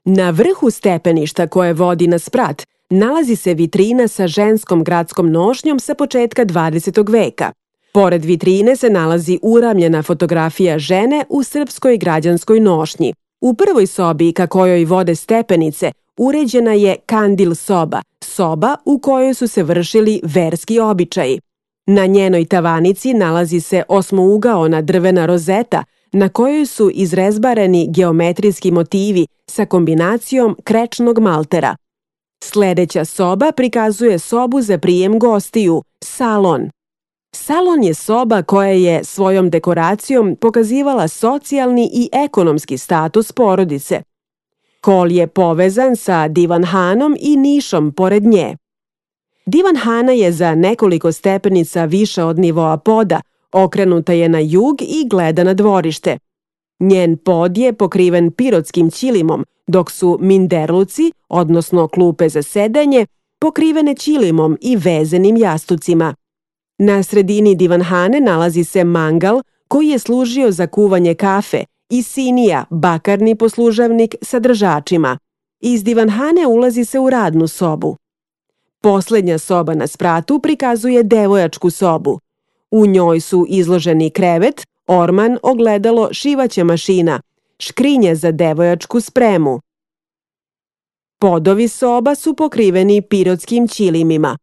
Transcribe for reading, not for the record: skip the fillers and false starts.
Na vrhu stepeništa koje vodi na sprat nalazi se vitrina sa ženskom gradskom nošnjom sa početka 20. veka. Pored vitrine se nalazi uramljena fotografija žene u srpskoj građanskoj nošnji. U prvoj sobi ka kojoj vode stepenice uređena je kandil soba, soba u kojoj su se vršili verski običaji. Na njenoj tavanici nalazi se osmougaona drvena rozeta na kojoj su izrezbareni geometrijski motivi sa kombinacijom krečnog maltera. Sledeća soba prikazuje sobu za prijem gostiju, salon. Salon je soba koja je svojom dekoracijom pokazivala socijalni i ekonomski status porodice. Hol je povezan sa divanhanom i nišom pored nje. Divanhana je za nekoliko stepenica više od nivoa poda, okrenuta je na jug i gleda na dvorište. Njen pod je pokriven pirotskim ćilimom, dok su minderluci, odnosno klupe za sedanje, pokrivene ćilimom i vezenim jastucima. Na sredini divanhane nalazi se mangal koji je služio za kuvanje kafe i sinija, bakarni poslužavnik sa držačima. Iz divanhane ulazi se u radnu sobu. Poslednja soba na spratu prikazuje devojačku sobu. U njoj su izloženi krevet, orman, ogledalo, šivaća mašina, škrinje za devojačku spremu. Podovi soba su pokriveni pirotskim ćilimima.